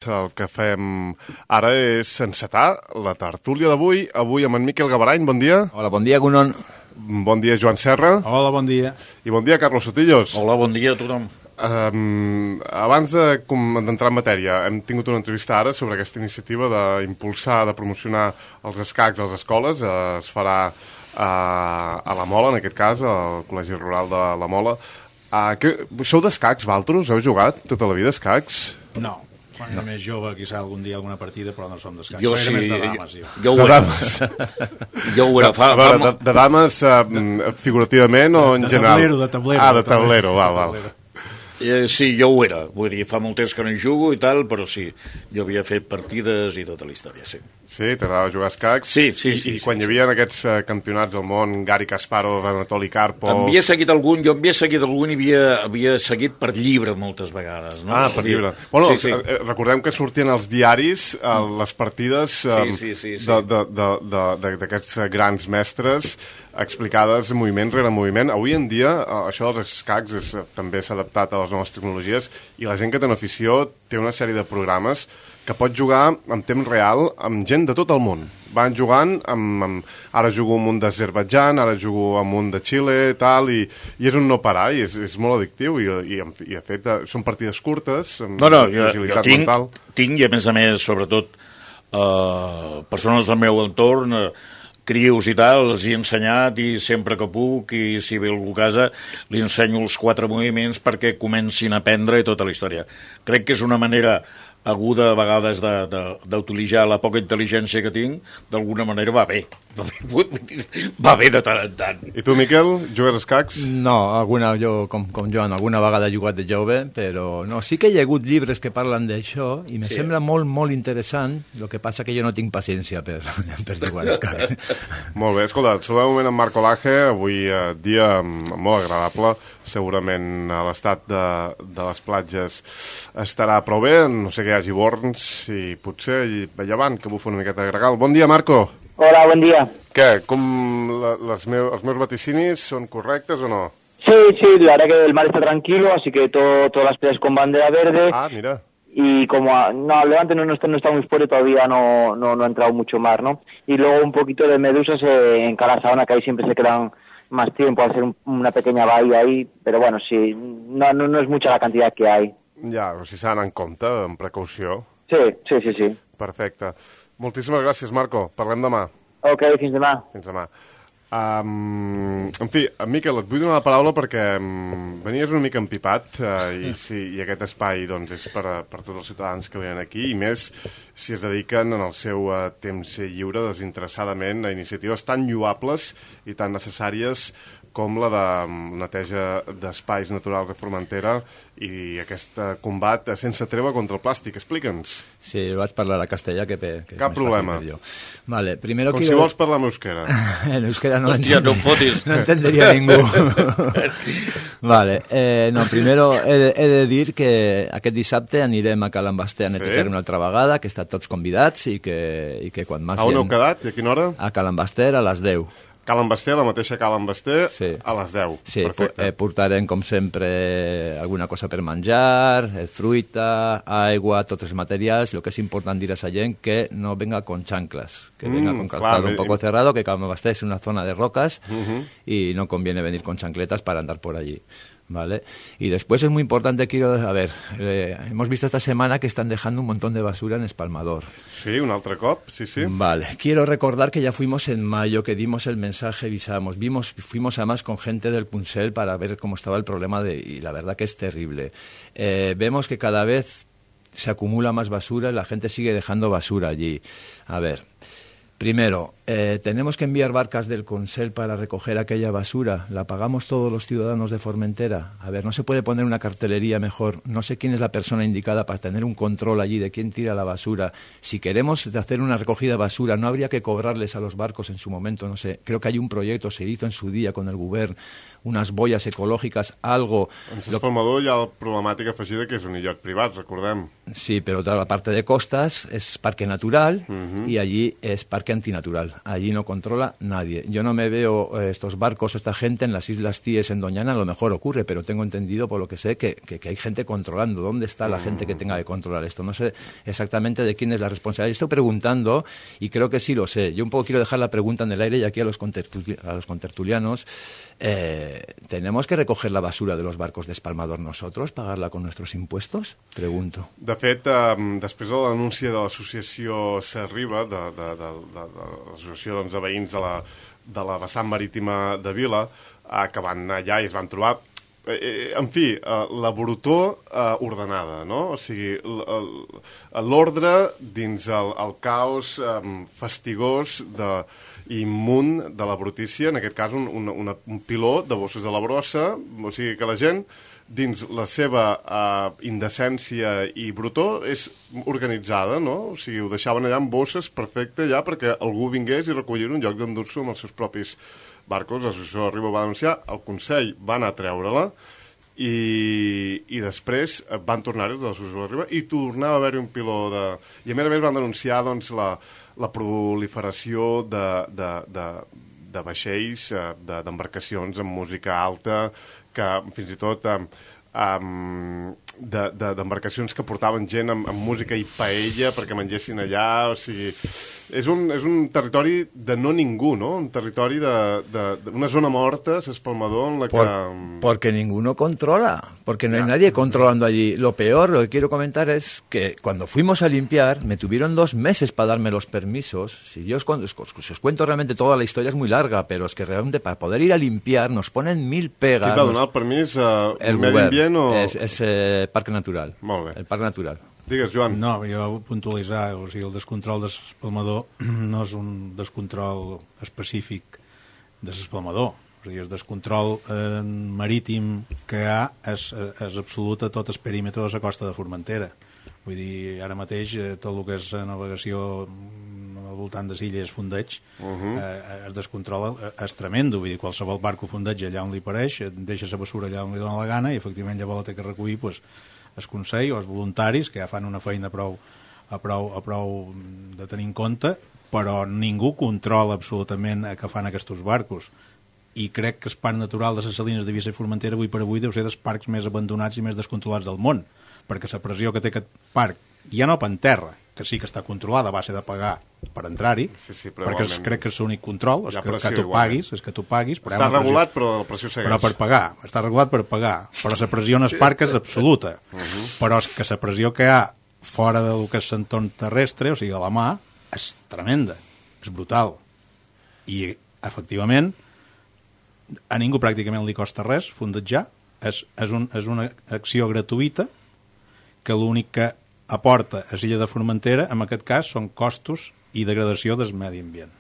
El que fem ara és encetar la tertúlia d'avui. Avui amb en Miquel Gabarany, bon dia. Hola, bon dia, Gunon. Bon dia, Joan Serra. Hola, bon dia. I bon dia, Carlos Sotillos. Hola, bon dia a tothom. Abans d'entrar en matèria, hem tingut una entrevista ara sobre aquesta iniciativa d'impulsar, de promocionar els escacs a les escoles. Es farà a la Mola, en aquest cas, al Col·legi Rural de la Mola. Sou d'escacs, Valtros? Heu jugat tota la vida escacs? No. Quan era més jove, quizà algun dia alguna partida, però no som d'escacs. Jo sí, més de dames, jo de dames. Jo ho era. De dames figurativament o en general? De tablero. De tablero, val. Sí, jo ho era. Vull dir, fa molt temps que no hi jugo i tal, però sí, jo havia fet partides i tota la història, sí. Sí, t'agradava jugar a escacs? Sí. I quan hi havia aquests campionats del món, Gary Kasparov, Anatoly Karpov... Havia seguit algun i havia seguit per llibre moltes vegades, no? Per llibre. Bueno, sí. Recordem que sortien als diaris les partides d'aquests grans mestres explicades moviment rere moviment. Avui en dia, això dels escacs també s'ha adaptat a les noves tecnologies i la gent que té una afició té una sèrie de programes que pot jugar en temps real amb gent de tot el món. Van jugant ara jugo amb un d'Azerbaidjan, ara jugo amb un de Xile, i és un no parar, i és molt addictiu, i de fet són partides curtes, amb agilitat mental. Tinc, i a més, sobretot, persones del meu entorn, crios i tal, els he ensenyat i sempre que puc, i si ve algú a casa li ensenyo els 4 moviments perquè comencin a aprendre tota la història. Crec que és una manera aguda a vegades d'utilitzar la poca intel·ligència que tinc, d'alguna manera va bé. Va bé de tant en tant. I tu, Miquel, jugues a escacs? No, jo, com Joan, alguna vegada he jugat de jove, però no, sí que hi ha hagut llibres que parlen d'això i me sembla molt, molt interessant, el que passa que jo no tinc paciència per jugar a escacs. Molt bé, escolta, saludem un moment en Marco Laje, avui dia molt agradable, segurament a l'estat de les platges estarà prou bé, no sé que hi hagi borns i potser a llevant que bufa una miqueta de gregal. Bon dia, Marco. Hola, buen día. Què, els meus vaticinis són correctes o no? Sí, la verdad que el mar está tranquilo, así que todas las playas con bandera verde. Ah, mira. Y como Levante no está muy fuerte, todavía no ha entrado mucho mar, ¿no? Y luego un poquito de medusas en Calasaona, que ahí siempre se quedan más tiempo a hacer una pequeña bahía ahí, pero bueno, sí, no es mucha la cantidad que hay. Ja, o sigui, s'ha d'anar en compte, amb precaució. Sí. Perfecte. Moltíssimes gràcies, Marco. Parlem demà. Ok, fins demà. Fins demà. En fi, Miquel, et vull donar la paraula perquè venies una mica empipat i aquest espai doncs, és per tots els ciutadans que venen aquí, i més si es dediquen en el seu temps lliure desinteressadament a iniciatives tan lloables i tan necessàries com la de neteja d'espais naturals de Formentera i aquest combat sense treva contra el plàstic. Explica'ns. Sí, vaig parlar a castellà, que cap problema. Vale, primero si vols parlar en euskera. En euskera no fotis. No entendería ningú. Vale, primero he de dir que aquest dissabte anirem a Cal Ambasté a netejar una altra vegada, que estan tots convidats i que quan més... A on heu quedat i a quina hora? A Cal Ambasté a les 10. Cal Ambasté, la mateixa Cal Ambasté, a les 10. Sí, portarem, com sempre, alguna cosa per menjar, fruita, aigua, tots els materials. Lo que és important dir a la gent que no venga con chanclas, que venga con calzado un poco cerrado, que Cal Ambasté es una zona de rocas y no conviene venir con chancletas para andar por allí. ¿Vale? Y después es muy importante, hemos visto esta semana que están dejando un montón de basura en Espalmador. Sí, un altre cop, sí. Vale, quiero recordar que ya fuimos en mayo, que dimos el mensaje, avisamos, fuimos además con gente del Punsel para ver cómo estaba el problema y la verdad que es terrible. Vemos que cada vez se acumula más basura y la gente sigue dejando basura allí. A ver, primero, tenemos que enviar barcas del Consell para recoger aquella basura. ¿La pagamos todos los ciudadanos de Formentera? A ver, ¿no se puede poner una cartelería mejor? No sé quién es la persona indicada para tener un control allí de quién tira la basura. Si queremos hacer una recogida de basura, ¿no habría que cobrarles a los barcos en su momento? No sé, creo que hay un proyecto, se hizo en su día con el Govern, unes boies ecològiques, algo... En Espalmador hi ha la problemàtica afegida que és un illot privat, recordem. Sí, pero toda la parte de costas es parque natural y allí es parque antinatural. allí no controla nadie. Yo no me veo estos barcos, esta gente en las Islas Cíes, en Doñana, a lo mejor ocurre, pero tengo entendido, por lo que sé, que hay gente controlando. ¿Dónde está la gente que tenga que controlar esto? No sé exactamente de quién es la responsabilidad. Estoy preguntando, y creo que sí lo sé. Yo un poco quiero dejar la pregunta en el aire, y aquí a los contertulianos, ¿tenemos que recoger la basura de los barcos de espalmador nosotros, pagarla con nuestros impuestos? Pregunto. De fet, després de l'anunci de l'associació Serriba, de l'associació de veïns de la vessant marítima de Vila, que van anar allà i es van trobar, en fi, la brutor ordenada, no? O sigui, l'ordre dins el caos fastigós i immunt de la brutícia, en aquest cas un piló de bossos de la brossa, o sigui que la gent dins la seva indecència i brutor és organitzada, no? O sigui, ho deixaven allà amb bosses perfecte allà perquè algú vingués i recollir un lloc d'endur-s'ho amb els seus propis barcos. L'associació de Riba va denunciar, el Consell va anar a treure-la i després van tornar-hi els de l'associació de Riba i tornava a haver-hi un piló de... I a més van denunciar doncs, la proliferació de vaixells, d'embarcacions amb música alta, que fins i tot d'embarcacions que portaven gent amb música i paella perquè mengessin allà, o sigui, és un territori de no ningú, no? Un territori una zona morta, S'Espalmador, en la que... Porque ninguno controla, porque no hay nadie controlando allí. Lo peor, lo que quiero comentar es que cuando fuimos a limpiar, me tuvieron 2 meses para darme los permisos. Si os cuento realmente toda la historia, es muy larga, pero es que realmente para poder ir a limpiar nos ponen 1000 pegas. Qui va donar el permís? El Medi Ambient o...? És Parc Natural. Molt bé. El Parc Natural. Digues, Joan. No, jo vull puntualitzar, o sigui, el descontrol de l'espalmador no és un descontrol específic de l'espalmador. O sigui, el descontrol marítim que hi ha és absolut a tot el perímetre de la costa de Formentera. Vull dir, ara mateix tot el que és navegació al voltant de Illes Fondeig, el descontrol és tremendo. Vull dir, qualsevol barco fondeig allà on li pareix, deixa la bessura allà on li dona la gana i efectivament llavors la té que recollir pues, el Consell o els voluntaris, que ja fan una feina a prou de tenir en compte, però ningú controla absolutament què fan aquests barcos. I crec que el parc natural de les Salines de Vissa i Formentera avui per avui deu ser dels parcs més abandonats i més descontrolats del món, perquè la pressió que té aquest parc, ja no per terra, que sí que està controlada a base de pagar per entrar-hi, perquè crec que és l'únic control, és que tu paguis, però està regulat, però la pressió segueix. Però per pagar, està regulat per pagar, però la pressió en el parc és absoluta, però és que la pressió que hi ha fora del que és l'entorn terrestre, o sigui, a la mà, és tremenda, és brutal. I, efectivament, a ningú pràcticament li costa res fondejar, és una acció gratuïta que l'únic que aporta a l'illa de Formentera, en aquest cas, són costos i degradació del medi ambient.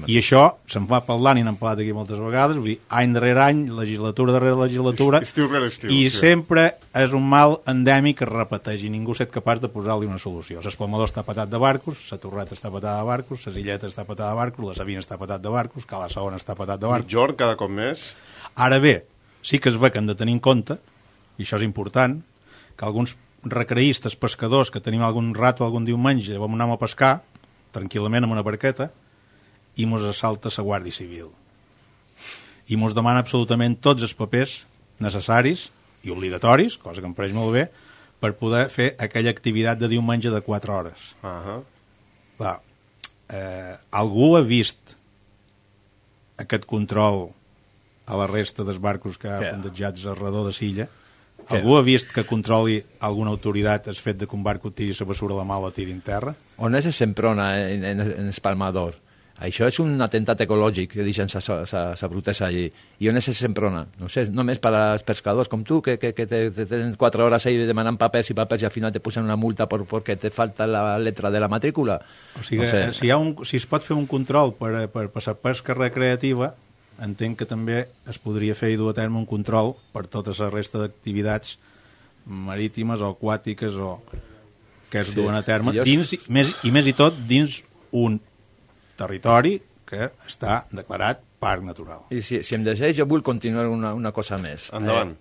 I això se'n va parlant i n'hem parlat aquí moltes vegades, vull dir, any darrere any, legislatura darrere legislatura, estiu rere estiu, i sempre és un mal endèmic que es repeteix i ningú és capaç de posar-li una solució. L'Espalmador està patat de barcos, la Torreta està patada de barcos, la Illeta està patada de barcos, la Sabina està patat de barcos, Cala Segona està patat de barcos. Migjorn cada cop més. Ara bé, sí que es ve que hem de tenir en compte, i això és important, que alguns recreistes, pescadors, que tenim algun rato, algun diumenge, vam anar a pescar, tranquil·lament amb una barqueta, i mos assalta la Guàrdia Civil. I mos demana absolutament tots els papers necessaris i obligatoris, cosa que em pareix molt bé, per poder fer aquella activitat de diumenge de 4 hores. Clar, algú ha vist aquest control a la resta dels barcos que ha fondejats al redor de l'illa? Algú ha vist que controli alguna autoritat el fet de que un barco tiri la bessura a la mà o la tiri en terra? On és Semprona en Espalmador? Això és un atemptat ecològic que deixen sa brutesa allí. I on és Semprona? No sé, només per als pescadors com tu, que tenen 4 hores ahí demanant papers i al final te posen una multa perquè te falta la letra de la matrícula. O sigui, no sé. Si es pot fer un control per la pesca recreativa, entenc que també es podria fer i dur a terme un control per tota la resta d'activitats marítimes o aquàtiques o que es duen a terme dins, i més i tot dins un territori que està declarat parc natural. I si em deixeu, jo vull continuar una cosa més. Endavant.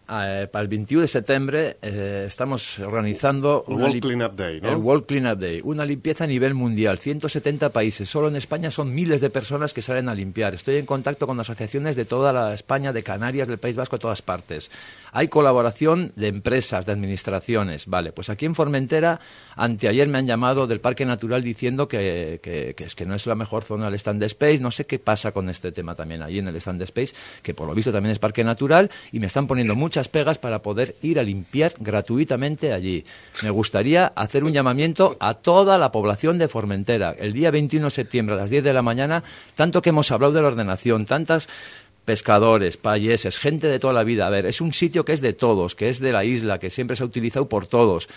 Pel 21 de septiembre estamos organizando el World Cleanup Day, ¿no? El World Cleanup Day, una limpieza a nivel mundial, 170 países. Solo en España son miles de personas que salen a limpiar. Estoy en contacto con asociaciones de toda la España, de Canarias, del País Vasco, de todas partes. Hay colaboración de empresas, de administraciones. Vale, pues aquí en Formentera, anteayer me han llamado del Parque Natural diciendo que es que no es la mejor zona del Stand Space. No sé qué pasa con este tema también allí en el Stand Space, que por lo visto también es parque natural, y me están poniendo muchas pegas para poder ir a limpiar gratuitamente allí. Me gustaría hacer un llamamiento a toda la población de Formentera. El día 21 de septiembre a las 10 de la mañana, tanto que hemos hablado de la ordenación, tantas pescadores, payeses, gente de toda la vida. A ver, es un sitio que es de todos, que es de la isla, que siempre se ha utilizado por todos.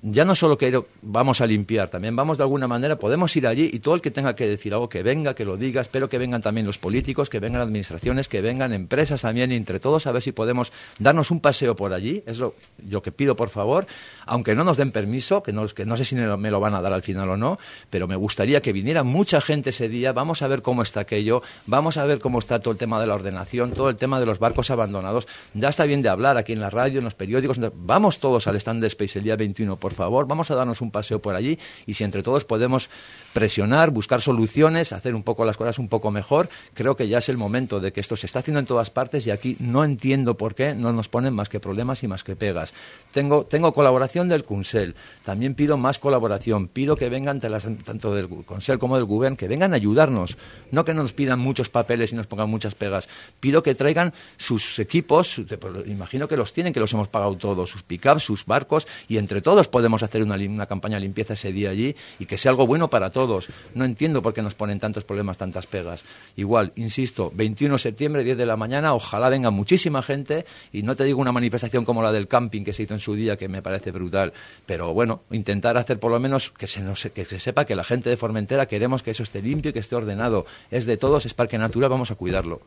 Ya no solo que vamos a limpiar, también vamos de alguna manera, podemos ir allí y todo el que tenga que decir algo, que venga, que lo diga. Espero que vengan también los políticos, que vengan administraciones, que vengan empresas también, y entre todos a ver si podemos darnos un paseo por allí. Es lo que pido, por favor, aunque no nos den permiso, que no sé si me lo van a dar al final o no, pero me gustaría que viniera mucha gente ese día. Vamos a ver cómo está aquello, vamos a ver cómo está todo el tema de la ordenación, todo el tema de los barcos abandonados. Ya está bien de hablar aquí en la radio, en los periódicos. Vamos todos al Stand Space el día 21, por favor, vamos a darnos un paseo por allí, y si entre todos podemos presionar, buscar soluciones, hacer un poco las cosas un poco mejor, creo que ya es el momento de que esto se está haciendo en todas partes, y aquí no entiendo por qué no nos ponen más que problemas y más que pegas. Tengo colaboración del Consell, también pido más colaboración, pido que vengan tanto del Consell como del Govern, que vengan a ayudarnos, no que nos pidan muchos papeles y nos pongan muchas pegas. Pido que traigan sus equipos, imagino que los tienen, que los hemos pagado todos, sus pick-ups, sus barcos, y entre todos podemos hacer una campaña de limpieza ese día allí, y que sea algo bueno para todos. No entiendo por qué nos ponen tantos problemas, tantas pegas. Igual, insisto, 21 de septiembre, 10 de la mañana, ojalá venga muchísima gente, y no te digo una manifestación como la del camping que se hizo en su día, que me parece brutal, pero bueno, intentar hacer por lo menos que se sepa que la gente de Formentera queremos que eso esté limpio y que esté ordenado. És de todos, és parque natural, vamos a cuidarlo.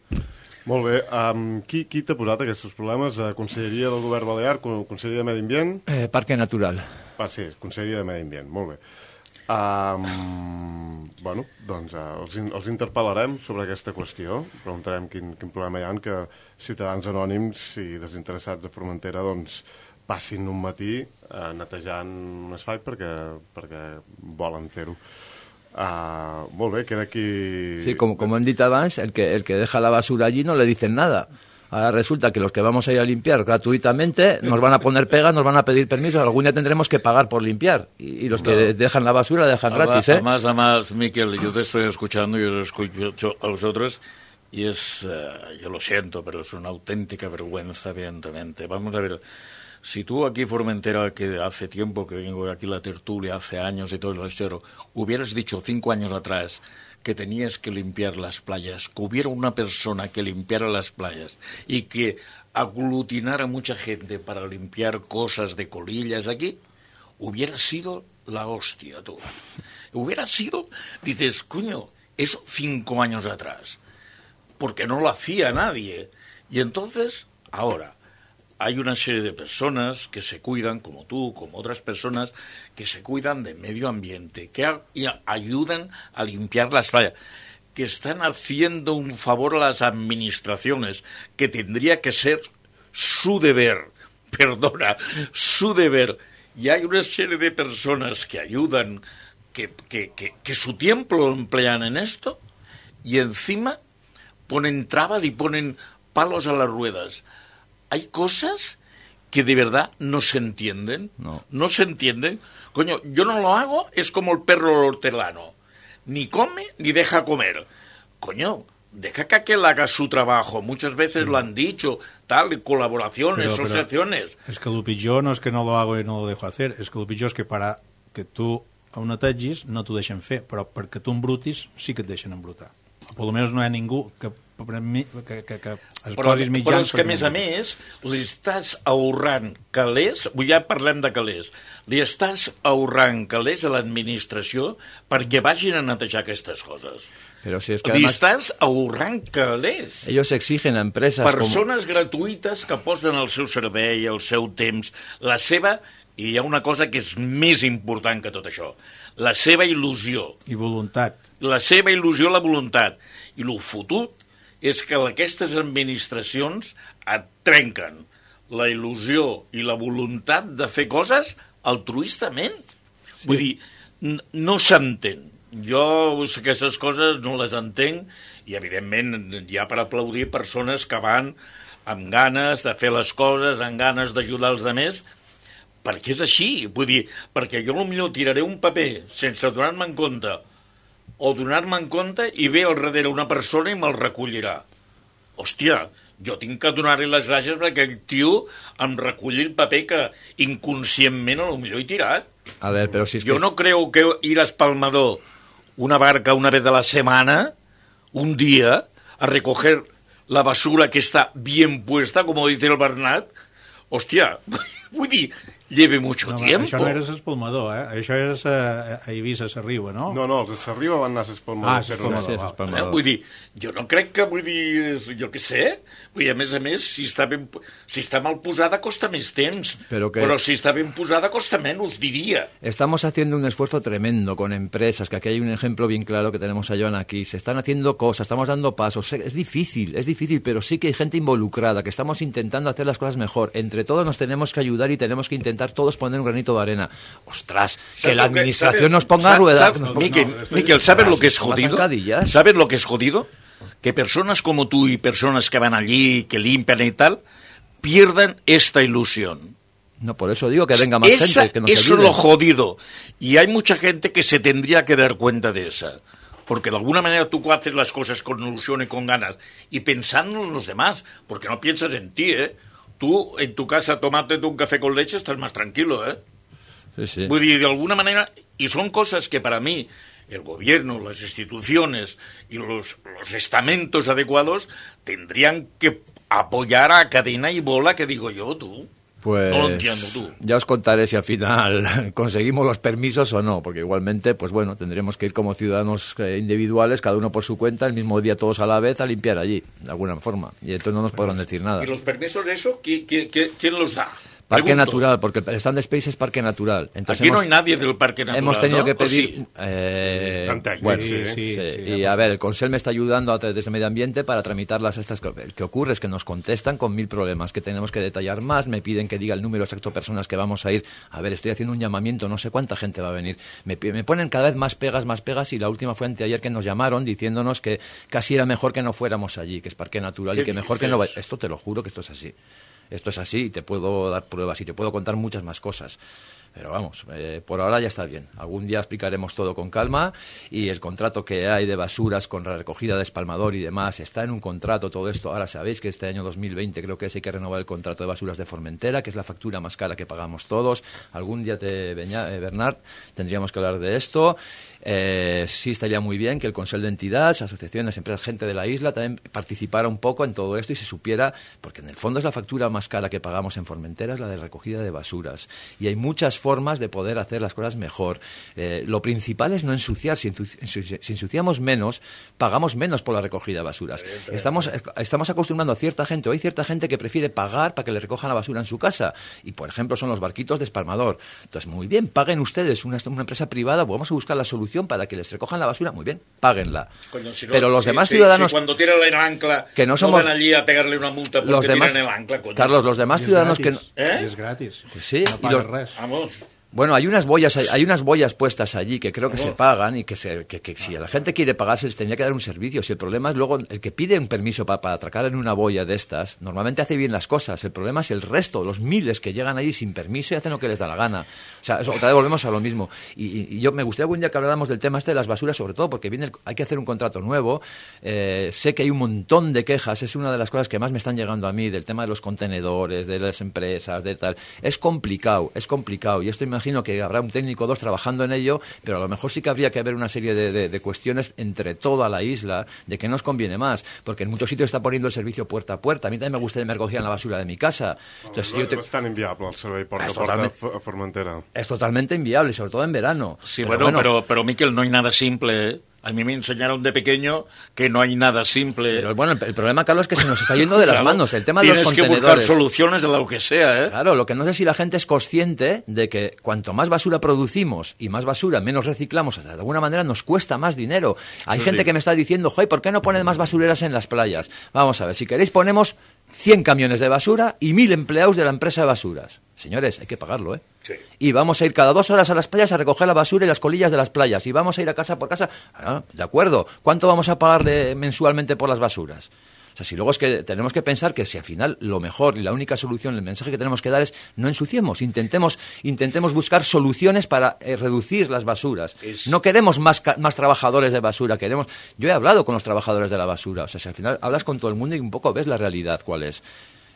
Molt bé. Qui t'ha posat aquests problemes? Conselleria del Govern Balear, Conselleria de Medi Ambient? Parque Natural. Sí, Conselleria de Medi Ambient, molt bé. Bueno, doncs els interpel·larem sobre aquesta qüestió, preguntarem quin problema hi ha, que ciutadans anònims i desinteressats de Formentera doncs passin un matí netejant un asfalt perquè volen fer-ho. Molt bé, queda aquí... Sí, como han dit abans, el que deja la basura allí no le dicen nada. Ahora resulta que los que vamos a ir a limpiar gratuitamente nos van a poner pegas, nos van a pedir permisos, algún día tendremos que pagar por limpiar. Y los que dejan la basura la dejan gratis, ¿eh? Además, Miquel, yo te estoy escuchando, yo os escucho a vosotros, y yo lo siento, pero es una auténtica vergüenza, evidentemente. Vamos a ver, si tú aquí, Formentera, que hace tiempo que vengo aquí a la tertulia, hace años y todo el resto, hubieras dicho 5 años atrás que tenías que limpiar las playas, que hubiera una persona que limpiara las playas y que aglutinara mucha gente para limpiar cosas de colillas aquí, hubiera sido la hostia, tú. Hubiera sido, dices, coño, eso 5 años atrás, porque no lo hacía nadie. Y entonces, ahora, hay una serie de personas que se cuidan, como tú, como otras personas, que se cuidan del medio ambiente, que ayudan a limpiar las playas, que están haciendo un favor a las administraciones, que tendría que ser su deber, su deber. Y hay una serie de personas que ayudan, que su tiempo lo emplean en esto, y encima ponen trabas y ponen palos a las ruedas. Hay cosas que de verdad no se entienden. No se entienden. Coño, yo no lo hago, es como el perro hortelano. Ni come ni deja comer. Coño, deja que aquel haga su trabajo. Muchas veces lo han dicho, tal, colaboraciones, asociaciones. Es que lo pitjor no es que no lo hago y no lo dejo hacer, es que lo pitjor és que para que tu ho netegis no t'ho deixen fer, però perquè tu embrutis sí que et deixen embrutar. O per almenys no hi ha ningú que es posis mitjans... Però és que, a més, li estàs ahorrant calés, ja parlem de calés, li estàs ahorrant calés a l'administració perquè vagin a netejar aquestes coses. Pero si es que li además, estàs ahorrant calés. Ellos exigen a empresas... Persones gratuïtes que posen el seu servei, el seu temps, la seva... I hi ha una cosa que és més important que tot això, la seva il·lusió. I voluntat. La seva il·lusió, la voluntat. I el fotut és que aquestes administracions et trenquen la il·lusió i la voluntat de fer coses altruistament. Sí. Vull dir, no s'entén. Jo aquestes coses no les entenc i, evidentment, hi ha per aplaudir persones que van amb ganes de fer les coses, amb ganes d'ajudar els altres, perquè és així. Vull dir, perquè jo potser tiraré un paper sense donar-me en compte o donar-me en compte i ve al darrere una persona i me'l recollirà. Hòstia, jo tinc que donar-li les gràcies perquè aquell tio em reculli el paper que inconscientment potser he tirat. A ver, pero si es yo no creo que ir a Espalmador una barca una vez a la semana, un día, a recoger la basura que está bien puesta, como dice el Bernat, hòstia, vull dir, lleve mucho tiempo. Això no era Espalmador, Això era a Eivissa, a Sarriba, no? No, els de Sarriba van anar a Espalmador. Espalmador. Vull dir, jo no crec que, jo què sé, vull dir, a més, si està mal posada costa més temps, però si està ben posada costa menys, diria. Estamos haciendo un esfuerzo tremendo con empresas, que aquí hay un ejemplo bien claro que tenemos a Joan aquí, se están haciendo cosas, estamos dando pasos, es difícil, pero sí que hay gente involucrada, que estamos intentando hacer las cosas mejor, entre todos nos tenemos que ayudar y tenemos que intentar todos poner un granito de arena. Ostras, que la administración nos ponga a ruedar. Miquel, ¿sabes lo que es jodido? ¿Sabes lo que es jodido? Que personas como tú y personas que van allí, que limpian y tal, pierdan esta ilusión. No, por eso digo que venga más gente, que nos ayude. Eso es lo jodido. Y hay mucha gente que se tendría que dar cuenta de esa. Porque de alguna manera tú haces las cosas con ilusión y con ganas y pensando en los demás, porque no piensas en ti, Tú, en tu casa, tomándote un café con leche, estás más tranquilo, Sí. Vull dir, de alguna manera, y son cosas que para mí, el gobierno, las instituciones y los estamentos adecuados tendrían que apoyar a cadena y bola, que digo yo, tú. Pues no lo entiendo tú. Ya os contaré si al final conseguimos los permisos o no, porque igualmente, pues bueno, tendremos que ir como ciudadanos individuales, cada uno por su cuenta, el mismo día todos a la vez, a limpiar allí, de alguna forma. Y entonces no nos podrán decir nada. ¿Y los permisos de eso, quién los da? Parque natural, porque el Stand Space es parque natural. Entonces aquí no hay nadie del parque natural, hemos tenido que Sí? pedir... bueno, sí. Y a ver, el Consell me está ayudando desde Medio Ambiente para tramitar estas cosas. El que ocurre es que nos contestan con 1000 problemas, que tenemos que detallar más, me piden que diga el número exacto de personas que vamos a ir. A ver, estoy haciendo un llamamiento, no sé cuánta gente va a venir. Me ponen cada vez más pegas, y la última fue anteayer que nos llamaron diciéndonos que casi era mejor que no fuéramos allí, que es parque natural, y que mejor que no vaya. Esto te lo juro que esto es así. Esto es así y te puedo dar pruebas y te puedo contar muchas más cosas. Pero vamos, por ahora ya está bien. Algún día explicaremos todo con calma y el contrato que hay de basuras con la recogida de Espalmador y demás está en un contrato todo esto. Ahora sabéis que este año 2020 creo que hay que renovar el contrato de basuras de Formentera, que es la factura más cara que pagamos todos. Algún día, Bernard, tendríamos que hablar de esto. Sí estaría muy bien que el Consell de Entidades, asociaciones, empresas, gente de la isla también participara un poco en todo esto y se supiera, porque en el fondo es la factura más cara que pagamos en Formentera, es la de recogida de basuras. Y hay muchas formas de poder hacer las cosas mejor. Lo principal es no ensuciar. Si ensuciamos menos, pagamos menos por la recogida de basuras. Estamos acostumbrando a cierta gente, o hay cierta gente que prefiere pagar para que le recojan la basura en su casa. Y, por ejemplo, son los barquitos de Espalmador. Entonces, muy bien, paguen ustedes, una empresa privada, vamos a buscar la solución para que les recojan la basura, muy bien, páguenla. Coño, si no, pero los demás ciudadanos... Si cuando tiran el ancla que no somos, van allí a pegarle una multa porque tiran el ancla, coño. Carlos, los demás ciudadanos gratis, que no... Es gratis. Sí, no pagues res. Vamos... Bueno, hay unas boyas puestas allí que creo que se pagan y que si la gente quiere pagar se les tendría que dar un servicio. Si el problema es luego el que pide un permiso para atracar en una boya de estas, normalmente hace bien las cosas. El problema es el resto, los miles que llegan allí sin permiso y hacen lo que les da la gana. O sea, otra vez volvemos a lo mismo. Y yo me gustaría algún día que habláramos del tema de las basuras, sobre todo porque hay que hacer un contrato nuevo. Sé que hay un montón de quejas, es una de las cosas que más me están llegando a mí, del tema de los contenedores, de las empresas, de tal. Es complicado. Y esto imagino que habrá un técnico o dos trabajando en ello, pero a lo mejor sí que habría que haber una serie de cuestiones entre toda la isla de que nos conviene más, porque en muchos sitios está poniendo el servicio puerta a puerta. A mí también me gustaría que me recogieran la basura de mi casa. Entonces, és tan inviable el servei porta a porta a Formentera. Es totalmente inviable, sobre todo en verano. Sí, pero Miquel, no hay nada simple, A mí me enseñaron de pequeño que no hay nada simple. Pero bueno, el problema, Carlos, es que se nos está yendo de las manos. El tema de los Tienes que contenedores. buscar soluciones de lo que sea, ¿eh? Claro, lo que no sé si la gente es consciente de que cuanto más basura producimos y más basura menos reciclamos, de alguna manera nos cuesta más dinero. Hay gente que me está diciendo, joder, ¿por qué no ponen más basureras en las playas? Vamos a ver, si queréis ponemos 100 camiones de basura y 1000 empleados de la empresa de basuras. Señores, hay que pagarlo, ¿eh? Sí. Y vamos a ir cada 2 horas a las playas a recoger la basura y las colillas de las playas. Y vamos a ir a casa por casa. Ah, de acuerdo. ¿Cuánto vamos a pagar mensualmente por las basuras? O sea, si luego es que tenemos que pensar que si al final lo mejor y la única solución, el mensaje que tenemos que dar es no ensuciemos, intentemos buscar soluciones para reducir las basuras. No queremos más trabajadores de basura, yo he hablado con los trabajadores de la basura, o sea, si al final hablas con todo el mundo y un poco ves la realidad cuál es.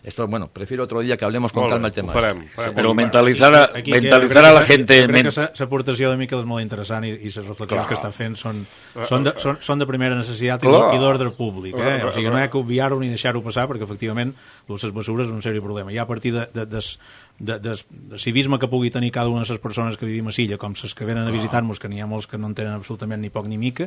Esto, bueno, prefiero otro dia que hablemos con calma el tema. Farem. Però mentalitzar a la gente... Crec que l'aportació de Miquel és molt interessant i les reflexions que està fent són de primera necessitat i d'ordre públic. O sigui, no hi ha que obviar-ho ni deixar-ho passar perquè, efectivament, les basures és un sèrio problema. Ja a partir de civisme que pugui tenir cada una de les persones que vivim a Silla, com les que venen a visitar-nos, que n'hi ha molts que no en tenen absolutament ni poc ni mica,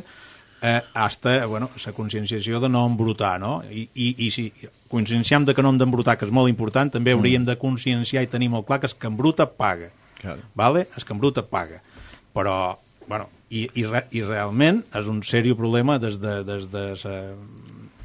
hasta, bueno, la conscienciació de no embrutar, no? I si conscienciem de que no hem d'embrutar, que és molt important, també hauríem de conscienciar i tenir molt clar que el que embruta paga. Claro. Vale? El que embruta paga. Però, bueno, i realment és un seriós problema des de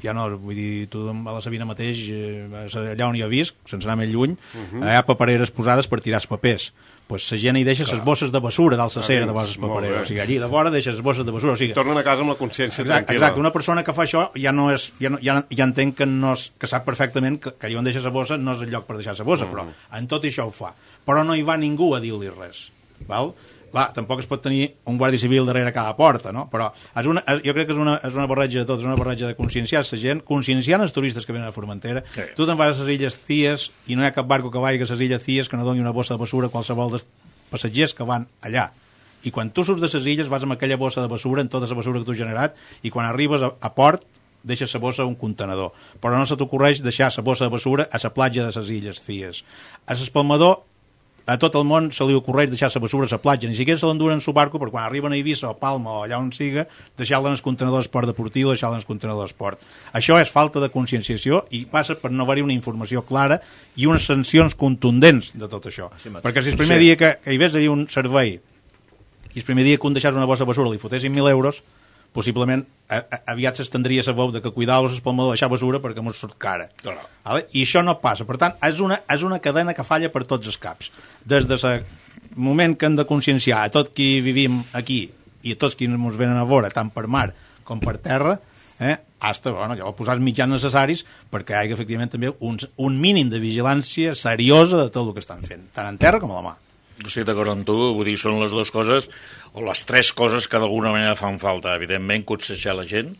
ja no, vull dir, tu a la Sabina mateix, allà on jo visc, sense anar més lluny, hi ha papereres posades per tirar els papers. Pues la gent hi deixa les bosses de basura dalt la cera de les papereres. O sigui, allí de vora deixa les bosses de basura. O sigui, tornen a casa amb la consciència tranquil·la. Exacte, una persona que fa això ja entenc que sap perfectament que allà on deixa la bossa no és el lloc per deixar la bossa, però en tot això ho fa. Però no hi va ningú a dir-li res. Val? Clar, tampoc es pot tenir un guàrdia civil darrere cada porta, no? Però jo crec que és una barreja de tot, és una barreja de conscienciar la gent, conscienciant els turistes que venen a Formentera. Sí. Tu te'n vas a les Illes Cíes i no hi ha cap barco que vagi a les Illes Cíes que no doni una bossa de basura a qualsevol dels passatgers que van allà. I quan tu surts de les illes vas amb aquella bossa de basura, amb tota la basura que tu has generat, i quan arribes a port deixes la bossa a un contenedor. Però no se t'ocorreix deixar la bossa de basura a la platja de les Illes Cíes. A l'Espalmador, a tot el món se li ocorreix deixar la basura a la platja, ni siquiera se l'enduren en su barco, perquè quan arriben a Eivissa o Palma o allà on siga, deixar-la en el contenedor d'esport deportiu o deixar-la en el contenedor d'esport. Això és falta de conscienciació i passa per no haver-hi una informació clara i unes sancions contundents de tot això. Perquè si el primer dia que hi ves a dir un servei i el primer dia que un deixàs una bossa de basura li fotessin 1.000 euros, possiblement aviat s'estendria la veu de que cuidar-los pel modo de deixar basura perquè mos surt cara. Claro. Vale? I això no passa. Per tant, és una cadena que falla per tots els caps. Des del moment que hem de conscienciar a tot qui vivim aquí i a tots qui ens venen a veure, tant per mar com per terra, hasta, bueno, ja posar els mitjans necessaris perquè hi hagi efectivament també un mínim de vigilància seriosa de tot el que estan fent, tant en terra com a la mà. Estic d'acord amb tu, vull dir, són les dues coses, o les tres coses que d'alguna manera fan falta. Evidentment, conscienciar la gent,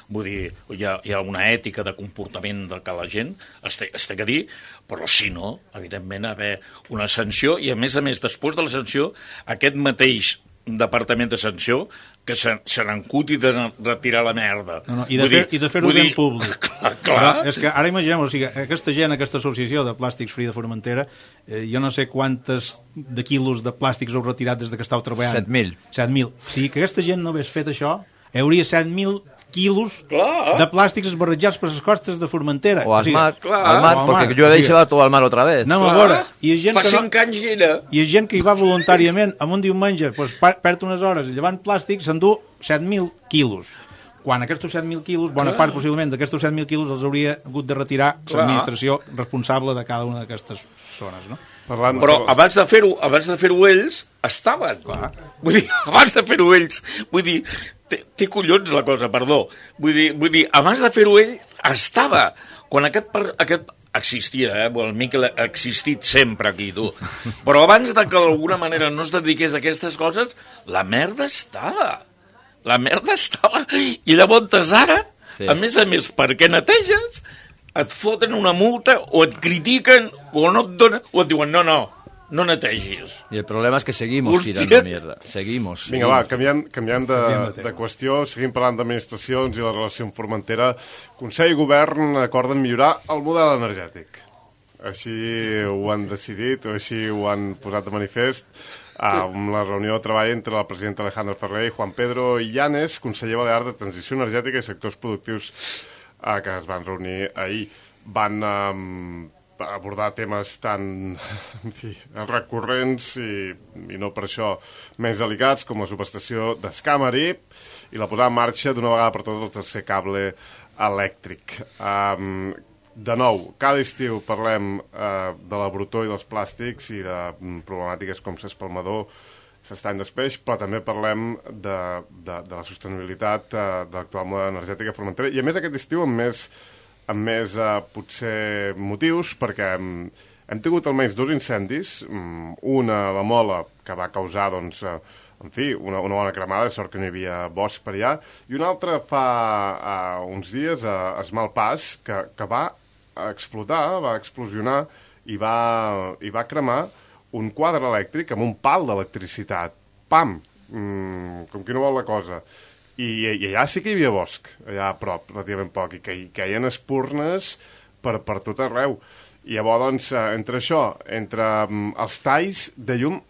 vull dir, hi ha una ètica de comportament de que la gent es té que dir, però si no, evidentment, haver una sanció, i a més, després de la sanció, aquest mateix departament de sanció que se n'encuti de retirar la merda. No, I de fer-ho ben públic. Clar. És que ara imaginem, o sigui, aquesta gent, aquesta associació de Plàstics Free de Formentera, jo no sé quantes de quilos de plàstics heu retirat des que estàu treballant. 7.000. 7.000. O sigui, que aquesta gent no hagués fet això, hi hauria 7.000 quilos de plàstics esbarrejats per les costes de Formentera. O al mar, perquè jo he deixat tot al mar otra vez. Anem a veure. Fa 5 anys hi era. I hi ha gent que hi va voluntàriament amb un diumenge, doncs, perd unes hores llevant plàstic, s'endú 7.000 quilos. Quan aquests 7.000 quilos, bona part possiblement d'aquests 7.000 quilos els hauria hagut de retirar l'administració responsable de cada una d'aquestes zones, no? Però abans de fer-ho ells estaven. Vull dir, abans de fer-ho ells, vull dir, té collons la cosa, perdó. Vull dir, abans de fer-ho ell estava. Quan aquest existia, el Miquel ha existit sempre aquí, tu. Però abans de que d'alguna manera no es dediqués a aquestes coses, la merda estava. La merda estava. I llavors ara, a més, perquè neteges, et foten una multa o et critiquen o no et donen, o et diuen no netegis. Y el problema es que seguimos tirando mierda. Seguimos. Vinga, va, canviem de qüestió, seguim parlant d'administracions i la relació amb Formentera. Consell i Govern acorden millorar el model energètic. Així ho han decidit, o així ho han posat de manifest. amb la reunió de treball entre el president Alejandro Ferrer i Juan Pedro Illanes, conseller balear de Transició Energètica i Sectors Productius, que es van reunir ahir. Van abordar temes tan recurrents i no per això més delicats com la subestació d'Escamari i la posada en marxa d'una vegada per totes el tercer cable elèctric. De nou, cada estiu parlem de la brutor i dels plàstics i de problemàtiques com s'espalmador, s'estany d'espeix, però també parlem de la sostenibilitat de l'actual model energètic a Formentera, i a més aquest estiu amb més potser motius, perquè hem tingut almenys 2 incendis, una a la Mola, que va causar, doncs, una bona cremada, de sort que no hi havia bosc per allà, i una altra fa uns dies a Esmalpàs, que va explotar, va explosionar i va cremar un quadre elèctric amb un pal d'electricitat. Pam! Com qui no vol la cosa. I allà sí que hi havia bosc, allà a prop, relativament poc, i que hi caien espurnes per tot arreu. I llavors, doncs, entre això, entre els talls de llum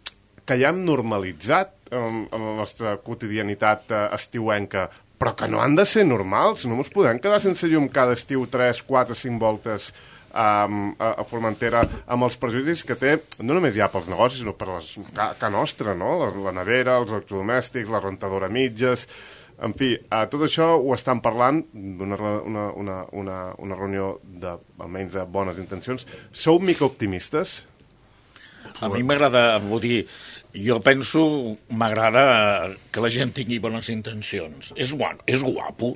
que ja hem normalitzat en la nostra quotidianitat estiuenca, però que no han de ser normals, no ens podem quedar sense llum cada estiu 3, 4, 5 voltes a Formentera, amb els prejudicis que té, no només ja pels negocis, sinó per la nostra, no? La nevera, els electrodomèstics, la rentadora a mitges. En fi, tot això ho estan parlant d'una reunió almenys de bones intencions. Sou mica optimistes? A mi m'agrada, vull dir, jo penso, m'agrada que la gent tingui bones intencions. És guapo.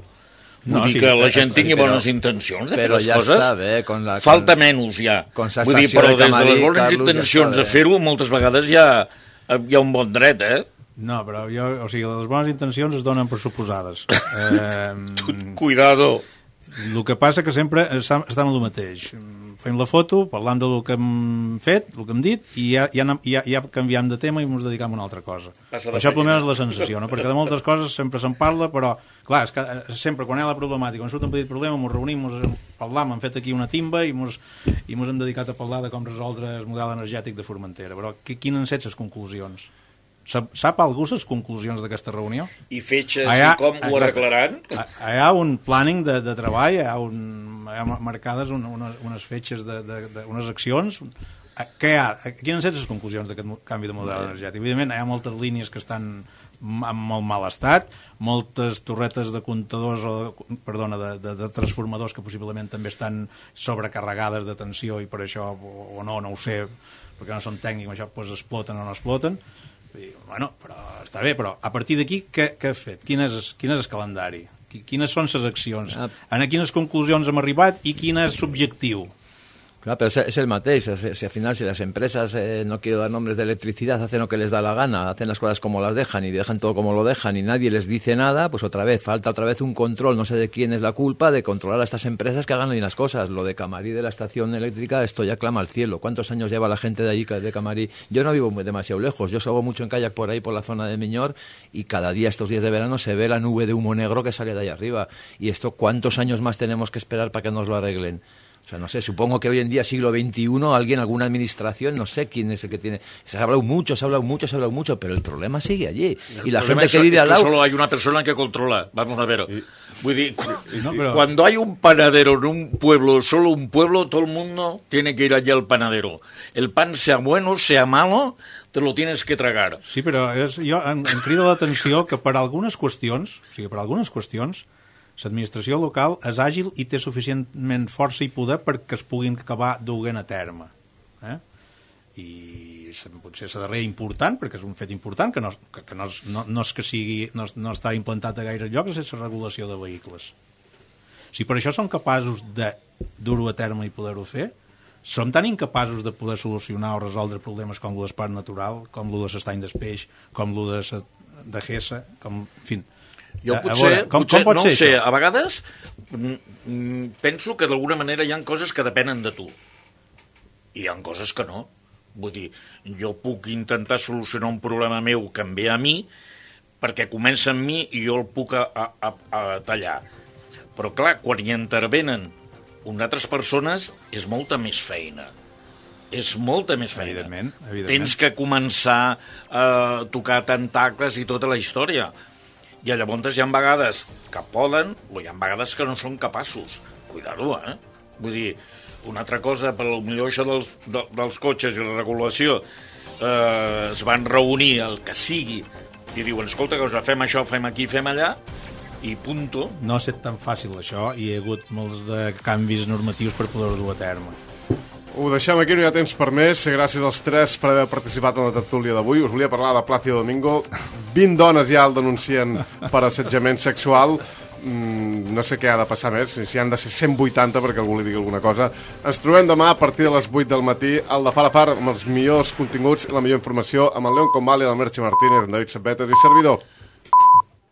Vull dir que la gent tingui bones intencions de fer les coses. Està bé, falta menys ja. Vull dir, però des de les bones intencions de fer-ho, moltes vegades hi ha un bon dret, No, però les bones intencions es donen per suposades. Cuidado. El que passa que sempre estem en el mateix. Fem la foto, parlam del que hem fet, el que hem dit, i ja canviem de tema i ens dedicam a una altra cosa. Això per almenys és la sensació, no? Perquè de moltes coses sempre se'n parla, però, clar, és que sempre quan hi ha la problemàtica, quan surt un petit problema, ens reunim, parlam, hem fet aquí una timba i ens hem dedicat a parlar de com resoldre el model energètic de Formentera. Però quines han set les conclusions? Sap algú les conclusions d'aquesta reunió? I fetges i com ho arreglaran? Hi ha un planning de treball, hi ha marcades unes fetges, unes accions. Quines han estat les conclusions d'aquest canvi de model energètic? Evidentment, hi ha moltes línies que estan en molt mal estat, moltes torretes de comptadors de transformadors que possiblement també estan sobrecarregades de tensió i per això, o no ho sé, perquè no són tècnics, això exploten o no exploten. Bueno, però està bé, però a partir d'aquí què has fet? Quin és el calendari? Quines són les accions? A quines conclusions hem arribat i quin és l'objectiu? Claro, pero es el mateix. Si al final, si las empresas, no quiero dar nombres de electricidad, hacen lo que les da la gana, hacen las cosas como las dejan y dejan todo como lo dejan y nadie les dice nada, pues falta otra vez un control, no sé de quién es la culpa, de controlar a estas empresas que hagan bien las cosas. Lo de Camarí, de la estación eléctrica, esto ya clama al cielo. ¿Cuántos años lleva la gente de allí, de Camarí? Yo no vivo demasiado lejos, yo salgo mucho en kayak por ahí, por la zona de Miñor, y cada día, estos días de verano, se ve la nube de humo negro que sale de ahí arriba. Y esto, ¿cuántos años más tenemos que esperar para que nos lo arreglen? O sea, no sé, supongo que hoy en día, siglo XXI, alguna administración, no sé quién es el que tiene... Se ha hablado mucho, pero el problema sigue allí. Y la gente que vive al lado... Solo hay una persona que controla, vamos a ver. Cuando hay un panadero en un pueblo, solo un pueblo, todo el mundo tiene que ir allí al panadero. El pan, sea bueno, sea malo, te lo tienes que tragar. Sí, però jo em crida l'atenció que per algunes qüestions, l'administració local és àgil i té suficientment força i poder perquè es puguin acabar duent a terme. I potser la darrera important, perquè és un fet important, que no és que sigui, no està implantat a gaire llocs, és la regulació de vehicles. Si per això som capaços de dur-ho a terme i poder-ho fer, som tan incapaços de poder solucionar o resoldre problemes com el d'espart natural, com el de l'estany d'espeix, com el de Gessa, com... En fi... Jo potser no ho sé, a vegades penso que d'alguna manera hi ha coses que depenen de tu i hi ha coses que no. Vull dir, jo puc intentar solucionar un problema meu que em ve a mi perquè comença amb mi i jo el puc a tallar. Però clar, quan hi intervenen unes altres persones és molta més feina. és molta més feina. Evidentment. Tens que començar a tocar tentacles i tota la història. I llavors hi ha vegades que poden o hi ha vegades que no són capaços. Cuidado, Vull dir, una altra cosa, per millor això dels cotxes i la regulació, es van reunir el que sigui i diuen, escolta, que fem això, fem aquí, fem allà, i punto. No ha estat tan fàcil això i hi ha hagut molts de canvis normatius per poder-ho dur a terme. Ho deixem aquí, no hi ha temps per més. Gràcies als tres per haver participat en la tertúlia d'avui. Us volia parlar de Plácido Domingo. 20 dones ja el denuncien per assetjament sexual. No sé què ha de passar més, si han de ser 180 perquè algú li digui alguna cosa. Ens trobem demà a partir de les 8 del matí al de Far a Far amb els millors continguts i la millor informació amb el León Combali, el Merche Martínez, en David Sabetes i servidor.